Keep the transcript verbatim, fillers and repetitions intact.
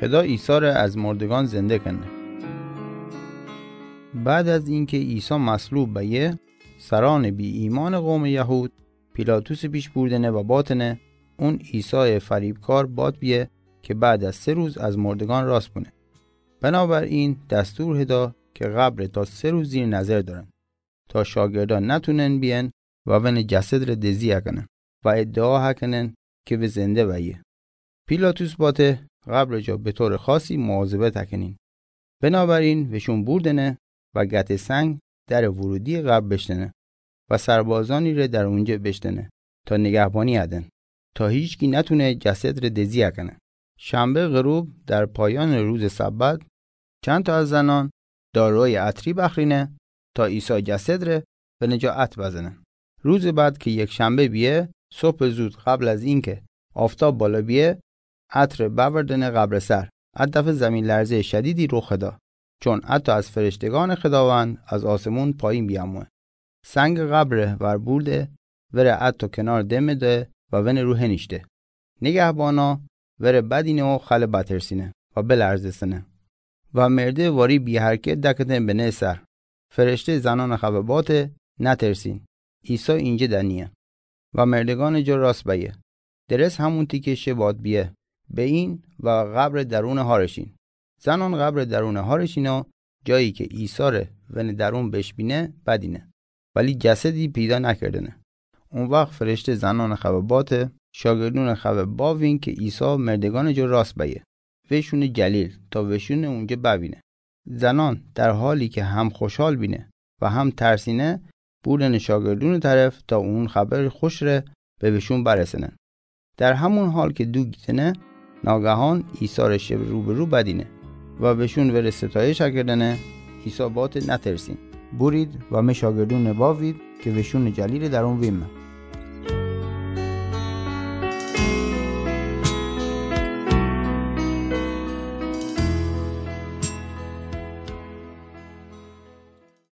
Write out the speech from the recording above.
خدا عیسی ره از مردگان زنده کنه. بعد از اینکه عیسی مصلوب بأیه، سرأنٚ بی‌ایمأنٚ قومٚ یهود پیلاطسٚ پیش بوردنه و باتنه اون عیسایٚ فریبکار باد بیه که بعد از سه روز از مردگان راست بونه. بنابراین دستور هدا که قبر ره تا سه روز زیر نظر دأرن، تا شاگردأن نتونن بیأن و ونٚ جسد ره دزی اکنن و ادعا هکنن که وی زنده بأیه. پیلاطس باته قبرٚ جا به طورٚ خاصی مواظبت اکنین. بنابراین وشون بوردنه و گتٚ سنگ درٚ ورودییٚ قبر بشتنه و سربازأنی ره در اونجه بشتنه تا نگهبانی ادن، تا هیچکی نتونه جسد ره دزی اکنه. شنبه غروب در پایانٚ روزٚ سبت، چند تا از زنأن دارویٚ عطری بخرینه تا عیسی جسد ره ونٚ جا عطر بزنه. روزٚ بعد که یکشنبه بیه، صبحٚ زود قبل از اینکه آفتاب بالا بیه، عطر بأوردنه قبرٚ سر. ا دفعه زمین‌لرزه‌یٚ شدیدی رخ دا، چون حتی از فرشتگانٚ خداوند از آسمون پایین بیأموه. سنگٚ قبر ره وربورده، وره حتی کنار دمه ده و ونٚ رو هنیشته. نگهبانا وره بدینه و خل بترسینه و بلرزستنه و مرده واری بی‌حرکت دکتنه بنه سر. فرشته زنأنٚ خبه باته: نترسین، عیسی اینجه دنیه و مردگانٚ جا راست بأیه. درس همونتی که شه باد بیه، بئین و قبرٚ درونٚ هارشین. زنأن قبرٚ درونٚ هارشین و جایی که عیسی ره ونٚ درون بشبینه بدینه، ولی جسدی پیدا نکردنه. او وخت فرشته زنأنٚ خبه باته: شاگردونٚ خبه باوین که عیسی مردگانٚ جا راست بأیه، وشونه جلیل تا وشونه اونجه ببینه. زنأن در حالی که هم خوشحال بینه و هم ترسینه، بوردنه شاگردونٚ طرف تا اون خبرٚ خوش ره به وشون برسنه. در همون حال که دو گیتنه، ناگهان عیسی ره شه روبه‌رو بدینه و وشون وره ستایش اکردنه. عیسی باته: نترسین. بورید و می شاگردونه باوید که وشونٚ جلیلٚ درون ویمه.